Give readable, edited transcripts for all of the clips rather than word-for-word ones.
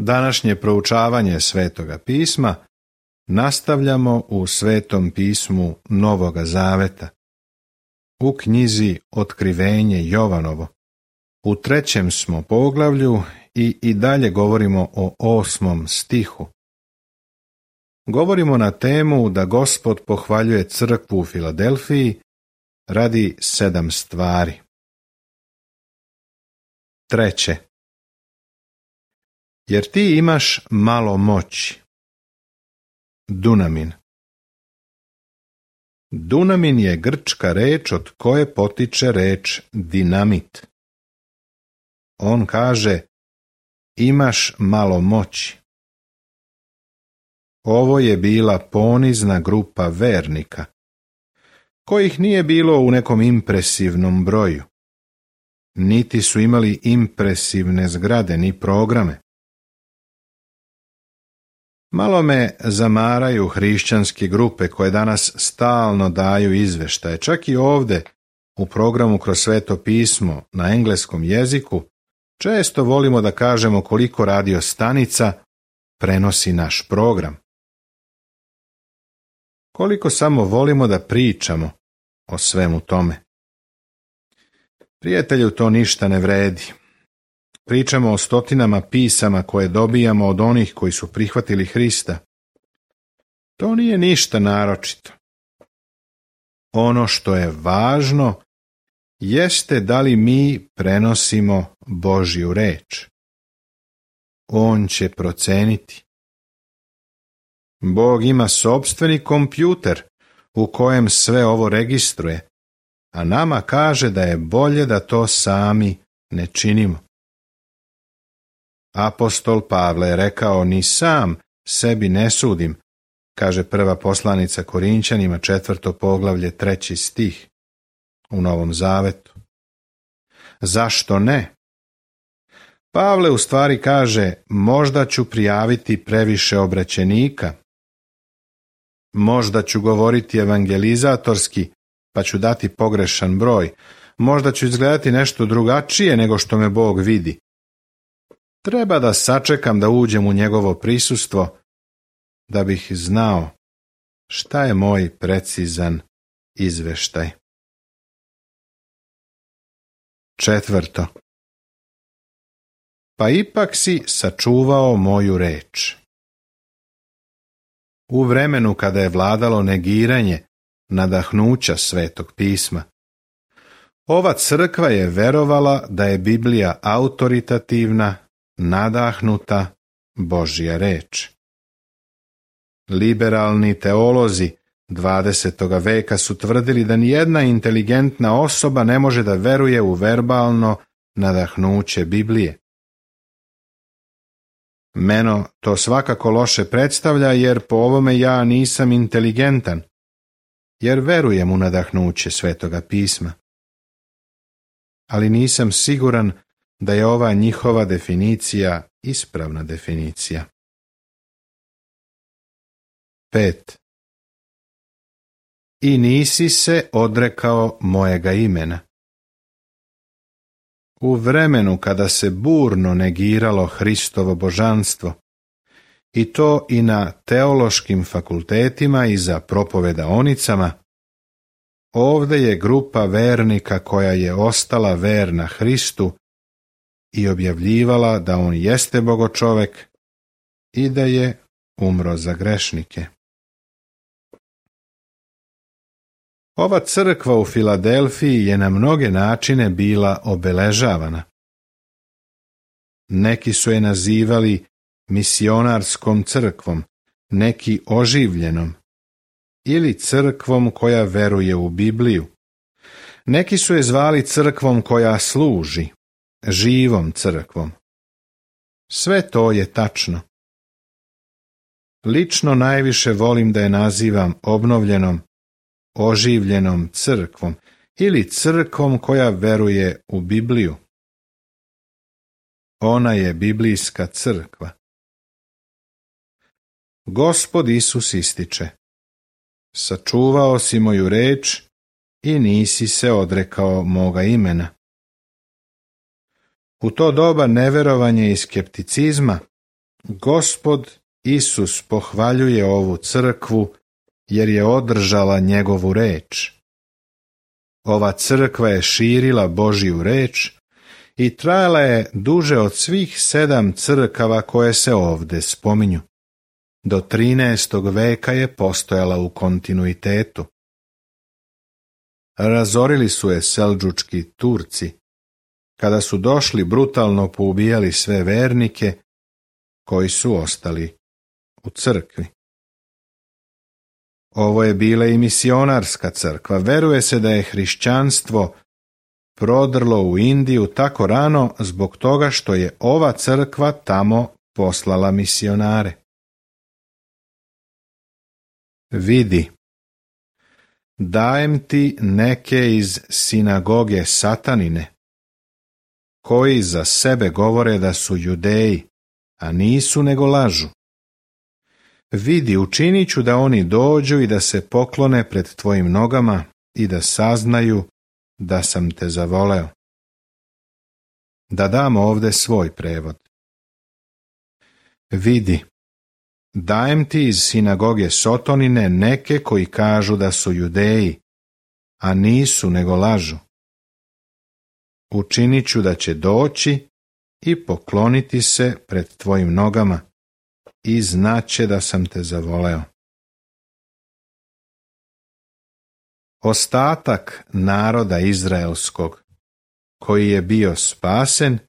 Današnje proučavanje Svetoga pisma nastavljamo u Svetom pismu Novoga Zaveta, u knjizi Otkrivenje Jovanovo. U 3. smo poglavlju i dalje govorimo o 8. stihu. Govorimo na temu da Gospod pohvaljuje crkvu u Filadelfiji radi 7 stvari. 3. Jer ti imaš malo moći. Dunamin. Dunamin je grčka reč od koje potiče reč dinamit. On kaže, imaš malo moći. Ovo je bila ponizna grupa vernika, kojih nije bilo u nekom impresivnom broju. Niti su imali impresivne zgrade ni programe. Malo me zamaraju hrišćanske grupe koje danas stalno daju izveštaje. Čak i ovdje u programu Kroz Sveto pismo na engleskom jeziku često volimo da kažemo koliko radio stanica prenosi naš program. Koliko samo volimo da pričamo o svemu tome. Prijatelju, to ništa ne vredi. Pričamo o stotinama pisama koje dobijamo od onih koji su prihvatili Hrista. To nije ništa naročito. Ono što je važno jeste da li mi prenosimo Božju reč. On će proceniti. Bog ima sopstveni kompjuter u kojem sve ovo registruje, a nama kaže da je bolje da to sami ne činimo. Apostol Pavle je rekao, ni sam sebi ne sudim, kaže prva poslanica Korinćanima 4. poglavlje 3. stih u Novom Zavetu. Zašto ne? Pavle u stvari kaže, možda ću prijaviti previše obraćenika, možda ću govoriti evangelizatorski, pa ću dati pogrešan broj, možda ću izgledati nešto drugačije nego što me Bog vidi. Treba da sačekam da uđem u njegovo prisustvo, da bih znao šta je moj precizan izveštaj. 4. Pa ipak si sačuvao moju reč. U vremenu kada je vladalo negiranje nadahnuća Svetog pisma, ova crkva je verovala da je Biblija autoritativna, nadahnuta Božja reč. Liberalni teolozi 20. veka su tvrdili da nijedna inteligentna osoba ne može da veruje u verbalno nadahnuće Biblije. Meno to svakako loše predstavlja, jer po ovome ja nisam inteligentan, jer verujem u nadahnuće Svetoga pisma. Ali nisam siguran da je ova njihova definicija ispravna definicija. 5. I nisi se odrekao mojega imena. U vremenu kada se burno negiralo Hristovo božanstvo, i to i na teološkim fakultetima i za propovedaonicama, ovdje je grupa vernika koja je ostala verna Hristu i objavljivala da on jeste bogočovek i da je umro za grešnike. Ova crkva u Filadelfiji je na mnoge načine bila obeležavana. Neki su je nazivali misionarskom crkvom, neki oživljenom, ili crkvom koja veruje u Bibliju. Neki su je zvali crkvom koja služi, živom crkvom. Sve to je tačno. Lično najviše volim da je nazivam obnovljenom, oživljenom crkvom ili crkvom koja veruje u Bibliju. Ona je biblijska crkva. Gospod Isus ističe, sačuvao si moju reč i nisi se odrekao moga imena. U to doba neverovanja i skepticizma Gospod Isus pohvaljuje ovu crkvu jer je održala njegovu reč. Ova crkva je širila Božju reč i trajala je duže od svih 7 crkava koje se ovdje spominju. Do 13. veka je postojala u kontinuitetu. Razorili su je seldžučki Turci, kada su došli brutalno poubijali sve vernike koji su ostali u crkvi. Ovo je bila i misionarska crkva. Veruje se da je hrišćanstvo prodrlo u Indiju tako rano zbog toga što je ova crkva tamo poslala misionare. Vidi, dajem ti neke iz sinagoge Satanine, koji za sebe govore da su Judeji, a nisu nego lažu. Vidi, učinit ću da oni dođu i da se poklone pred tvojim nogama i da saznaju da sam te zavoleo. Da dam ovdje svoj prevod. Vidi, dajem ti iz sinagoge Sotonine neke koji kažu da su Judeji, a nisu nego lažu. Učinit ću da će doći i pokloniti se pred tvojim nogama i znaće da sam te zavoleo. Ostatak naroda izraelskog, koji je bio spasen,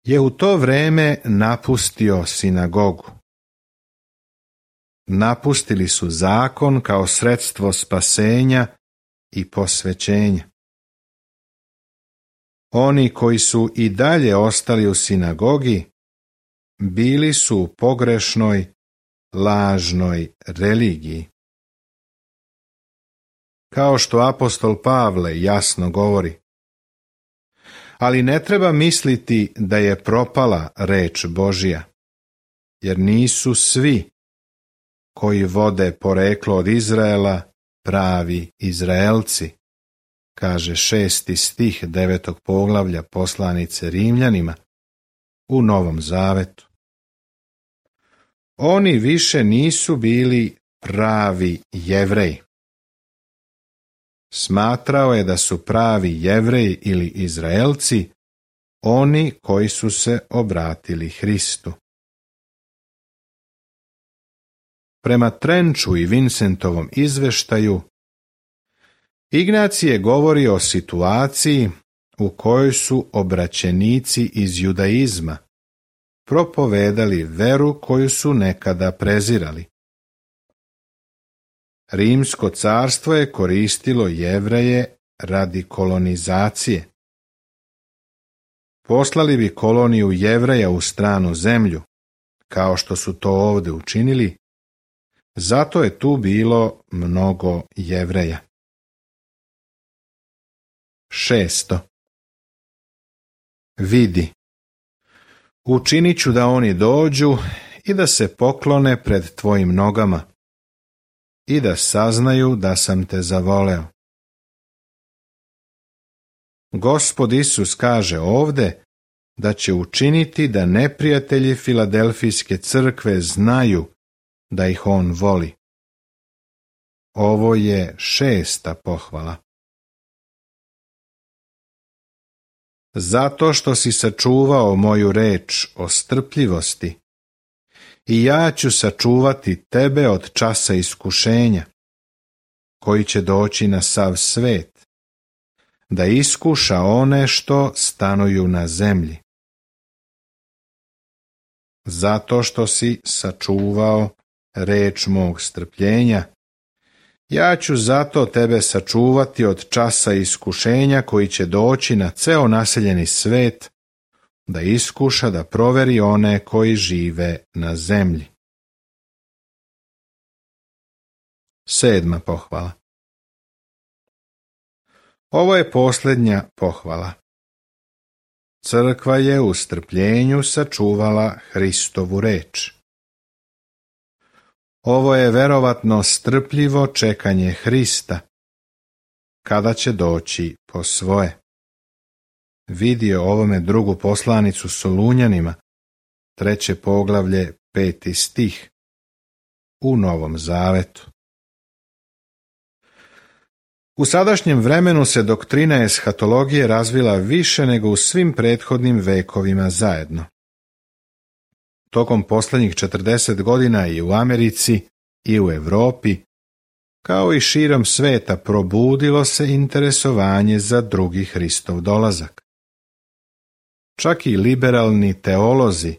je u to vrijeme napustio sinagogu. Napustili su zakon kao sredstvo spasenja i posvećenja. Oni koji su i dalje ostali u sinagogi, bili su u pogrešnoj, lažnoj religiji. Kao što apostol Pavle jasno govori, ali ne treba misliti da je propala reč Božja, jer nisu svi koji vode poreklo od Izraela pravi Izraelci, kaže 6. stih 9. poglavlja poslanice Rimljanima u Novom Zavetu. Oni više nisu bili pravi Jevreji. Smatrao je da su pravi Jevreji ili Izraelci oni koji su se obratili Hristu. Prema Trenču i Vincentovom izveštaju, Ignacije govori o situaciji u kojoj su obraćenici iz judaizma propovedali veru koju su nekada prezirali. Rimsko carstvo je koristilo Jevreje radi kolonizacije. Poslali bi koloniju Jevreja u stranu zemlju, kao što su to ovdje učinili, zato je tu bilo mnogo Jevreja. 6. Vidi, učinit ću da oni dođu i da se poklone pred tvojim nogama i da saznaju da sam te zavoleo. Gospod Isus kaže ovdje da će učiniti da neprijatelji Filadelfijske crkve znaju da ih on voli. Ovo je 6. pohvala. Zato što si sačuvao moju reč o strpljivosti, i ja ću sačuvati tebe od časa iskušenja, koji će doći na sav svet, da iskuša one što stanuju na zemlji. Zato što si sačuvao reč mog strpljenja, ja ću zato tebe sačuvati od časa iskušenja koji će doći na ceo naseljeni svet, da iskuša da proveri one koji žive na zemlji. 7. pohvala. Ovo je posljednja pohvala. Crkva je u strpljenju sačuvala Hristovu reč. Ovo je verovatno strpljivo čekanje Hrista, kada će doći po svoje. Vidio ovome drugu poslanicu Solunjanima, 3. poglavlje, 5. stih, u Novom Zavetu. U sadašnjem vremenu se doktrina eshatologije razvila više nego u svim prethodnim vekovima zajedno. Tokom posljednjih 40 godina i u Americi i u Europi, kao i širom sveta, probudilo se interesovanje za drugi Hristov dolazak. Čak i liberalni teolozi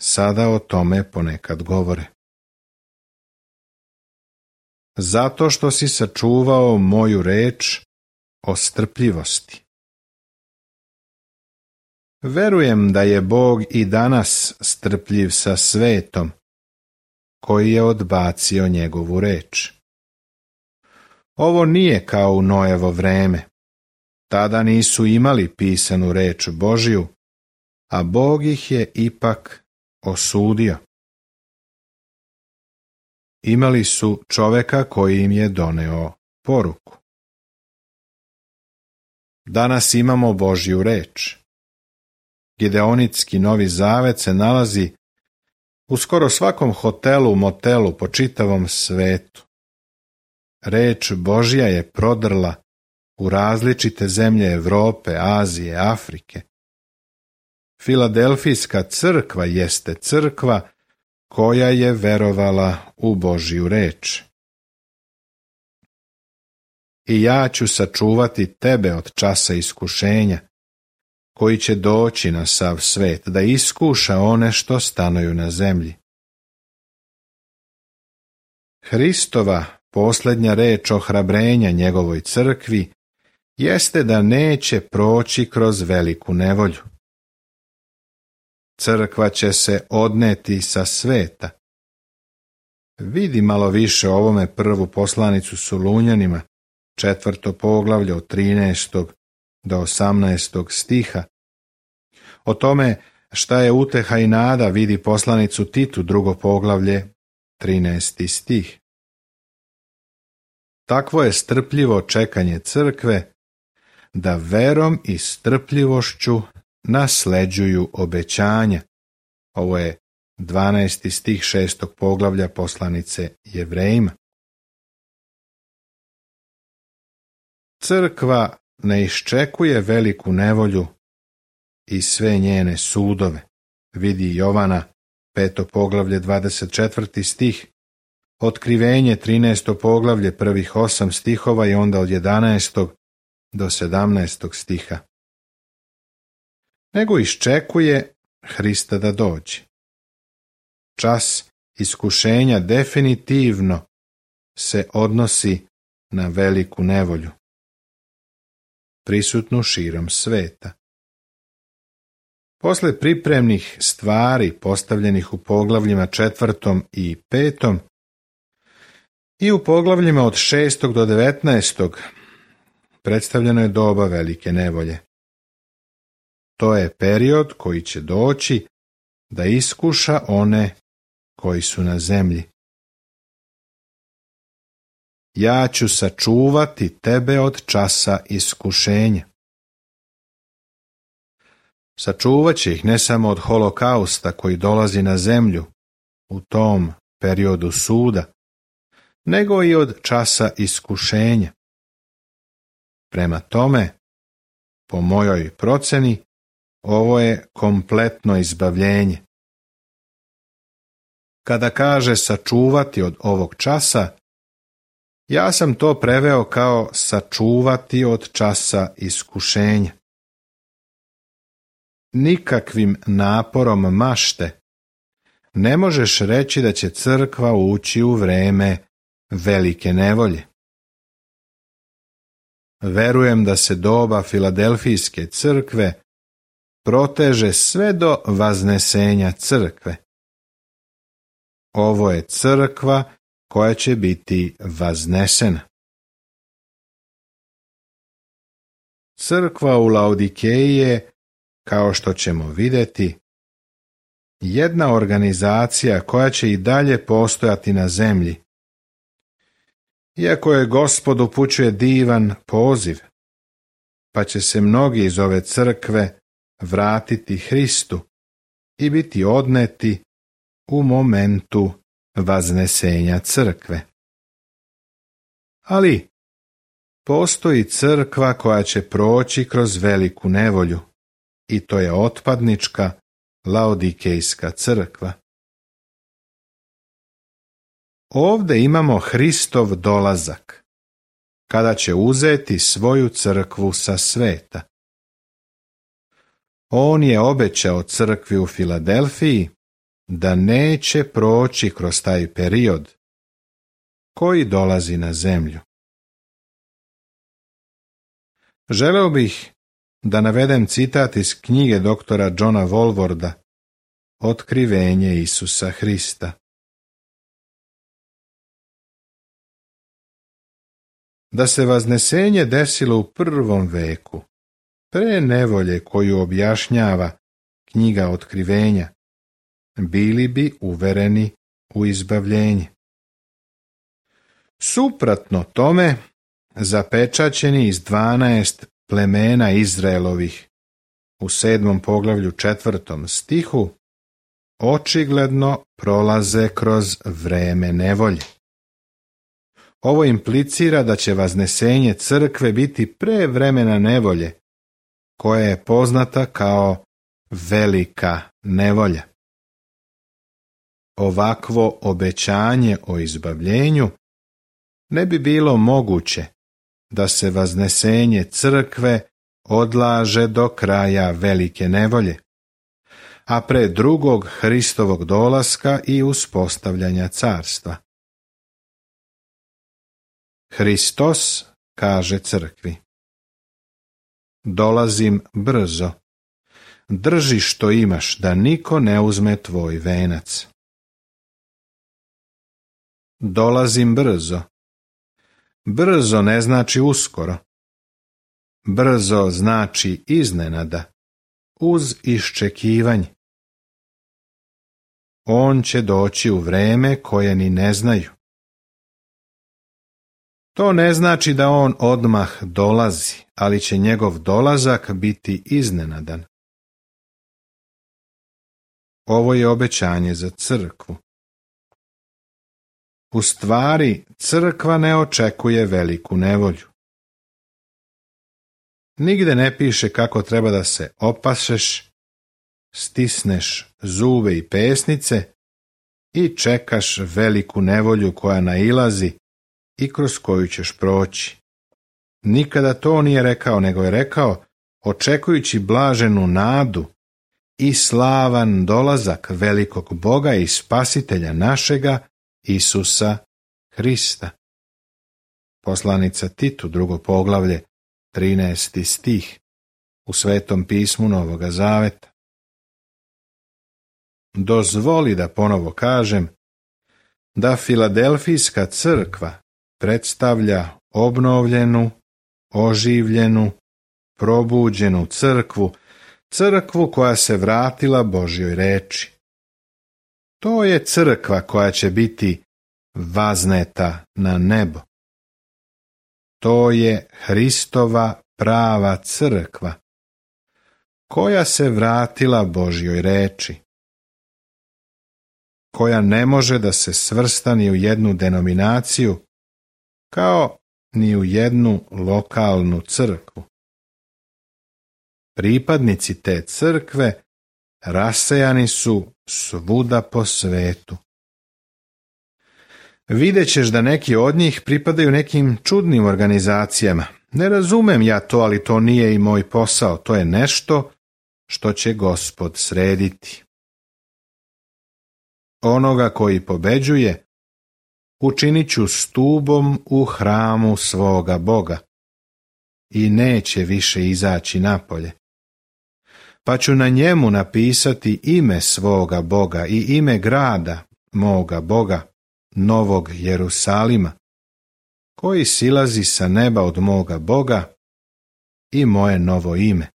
sada o tome ponekad govore. Zato što si sačuvao moju reč o strpljivosti. Verujem da je Bog i danas strpljiv sa svetom, koji je odbacio njegovu reč. Ovo nije kao u Noevo vreme. Tada nisu imali pisanu reč Božju, a Bog ih je ipak osudio. Imali su čoveka koji im je doneo poruku. Danas imamo Božju reč. Gideonitski Novi Zavet se nalazi u skoro svakom hotelu, motelu po čitavom svetu. Reč Božja je prodrla u različite zemlje Europe, Azije, Afrike. Filadelfijska crkva jeste crkva koja je verovala u Božju reč. I ja ću sačuvati tebe od časa iskušenja, koji će doći na sav svet, da iskuša one što stanuju na zemlji. Hristova posljednja reč ohrabrenja njegovoj crkvi jeste da neće proći kroz veliku nevolju. Crkva će se odneti sa sveta. Vidi malo više o ovome prvu poslanicu Solunjanima, 4. poglavlje od 13. do 18. stiha. O tome šta je uteha i nada vidi poslanicu Titu, 2. poglavlje, 13. stih. Takvo je strpljivo čekanje crkve, da verom i strpljivošću nasleđuju obećanja. Ovo je 12. stih 6. poglavlja poslanice Jevrejima. Crkva ne iščekuje veliku nevolju i sve njene sudove. Vidi Jovana, 5. poglavlje, 24. stih, Otkrivenje, 13. poglavlje, prvih 8 stihova i onda od 11. do 17. stiha. Nego iščekuje Hrista da dođe. Čas iskušenja definitivno se odnosi na veliku nevolju, prisutnu širom sveta. Posle pripremnih stvari postavljenih u poglavljima 4. i 5. i u poglavljima od 6. do 19. predstavljeno je doba velike nevolje. To je period koji će doći da iskuša one koji su na zemlji. Ja ću sačuvati tebe od časa iskušenja. Sačuvat će ih ne samo od holokausta koji dolazi na zemlju u tom periodu suda, nego i od časa iskušenja. Prema tome, po mojoj proceni, ovo je kompletno izbavljenje. Kada kaže sačuvati od ovog časa, ja sam to preveo kao sačuvati od časa iskušenja. Nikakvim naporom mašte ne možeš reći da će crkva ući u vreme velike nevolje. Verujem da se doba Filadelfijske crkve proteže sve do vaznesenja crkve. Ovo je crkva koja će biti vaznesena. Crkva u Laodikeji je, kao što ćemo vidjeti, jedna organizacija koja će i dalje postojati na zemlji. Iako je Gospod upućuje divan poziv, pa će se mnogi iz ove crkve vratiti Hristu i biti odneti u momentu vaznesenja crkve. Ali postoji crkva koja će proći kroz veliku nevolju, i to je otpadnička Laodikejska crkva. Ovdje imamo Hristov dolazak, kada će uzeti svoju crkvu sa sveta. On je obećao crkvi u Filadelfiji da neće proći kroz taj period koji dolazi na zemlju. Želeo bih da navedem citat iz knjige doktora Johna Walworda Otkrivenje Isusa Hrista. Da se vaznesenje desilo u prvom veku, pre nevolje koju objašnjava knjiga Otkrivenja, bili bi uvereni u izbavljenje. Suprotno tome, zapečaćeni iz 12 plemena Izraelovih u 7. poglavlju 4. stihu očigledno prolaze kroz vreme nevolje. Ovo implicira da će vaznesenje crkve biti pre vremena nevolje, koja je poznata kao velika nevolja. Ovakvo obećanje o izbavljenju ne bi bilo moguće da se vaznesenje crkve odlaže do kraja velike nevolje, a pre drugog Hristovog dolaska i uspostavljanja carstva. Hristos kaže crkvi: dolazim brzo, drži što imaš da niko ne uzme tvoj venac. Dolazim brzo. Brzo ne znači uskoro. Brzo znači iznenada, uz iščekivanje. On će doći u vreme koje ni ne znaju. To ne znači da on odmah dolazi, ali će njegov dolazak biti iznenadan. Ovo je obećanje za crkvu. U stvari, crkva ne očekuje veliku nevolju. Nigde ne piše kako treba da se opašeš, stisneš zube i pesnice i čekaš veliku nevolju koja nailazi i kroz koju ćeš proći. Nikada to nije rekao, nego je rekao, očekujući blaženu nadu i slavan dolazak velikog Boga i Spasitelja našega, Isusa Hrista. Poslanica Titu, 2. poglavlje, 13. stih, u Svetom pismu Novoga Zaveta. Dozvoli da ponovo kažem da Filadelfijska crkva predstavlja obnovljenu, oživljenu, probuđenu crkvu, crkvu koja se vratila Božjoj reči. To je crkva koja će biti vazneta na nebo. To je Hristova prava crkva, koja se vratila Božjoj reči, koja ne može da se svrsta ni u jednu denominaciju, kao ni u jednu lokalnu crkvu. Pripadnici te crkve rasejani su svuda po svetu. Videćeš da neki od njih pripadaju nekim čudnim organizacijama. Ne razumem ja to, ali to nije i moj posao. To je nešto što će Gospod srediti. Onoga koji pobeđuje učinit ću stubom u hramu svoga Boga i neće više izaći napolje. Pa ću na njemu napisati ime svoga Boga i ime grada moga Boga, Novog Jerusalima, koji silazi sa neba od moga Boga, i moje novo ime.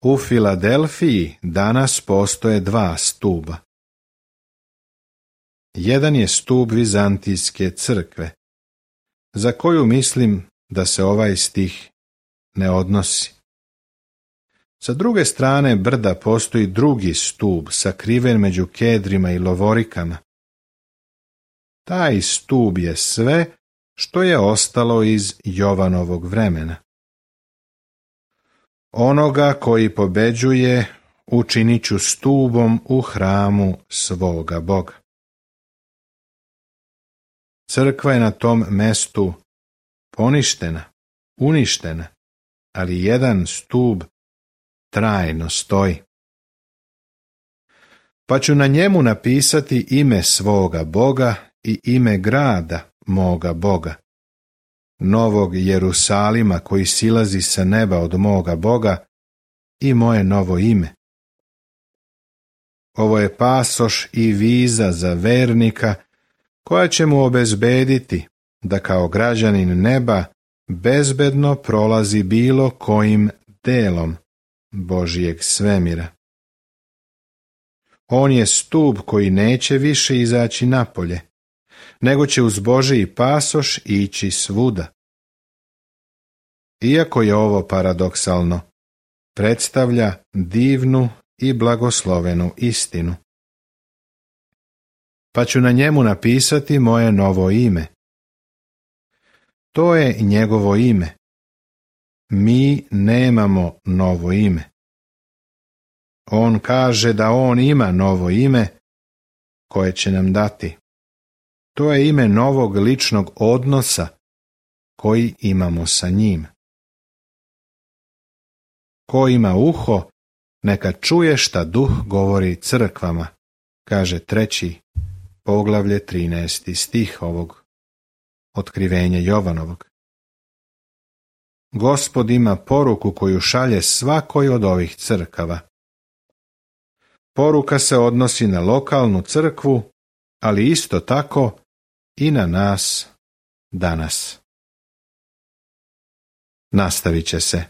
U Filadelfiji danas postoje 2 stuba. Jedan je stup Vizantijske crkve, za koju mislim da se ovaj stih ne odnosi. Sa druge strane brda postoji drugi stub sakriven među kedrima i lovorikama. Taj stub je sve što je ostalo iz Jovanovog vremena. Onoga koji pobeđuje učinit ću stubom u hramu svoga Boga. Crkva je na tom mestu poništena, uništena, ali jedan stub trajno stoji. Pa ću na njemu napisati ime svoga Boga i ime grada moga Boga, novog Jerusalima koji silazi sa neba od moga Boga i moje novo ime. Ovo je pasoš i viza za vernika koja će mu obezbediti da kao građanin neba bezbedno prolazi bilo kojim delom Božijeg svemira. On je stup koji neće više izaći napolje, nego će uz Božiji pasoš ići svuda. Iako je ovo paradoksalno, predstavlja divnu i blagoslovenu istinu. Pa ću na njemu napisati moje novo ime. To je njegovo ime. Mi nemamo novo ime. On kaže da on ima novo ime koje će nam dati. To je ime novog ličnog odnosa koji imamo sa njim. Ko ima uho, neka čuje šta Duh govori crkvama, kaže 3. poglavlje 13. stih ovog otkrivenja Jovanovog. Gospod ima poruku koju šalje svakoj od ovih crkava. Poruka se odnosi na lokalnu crkvu, ali isto tako i na nas danas. Nastavit će se.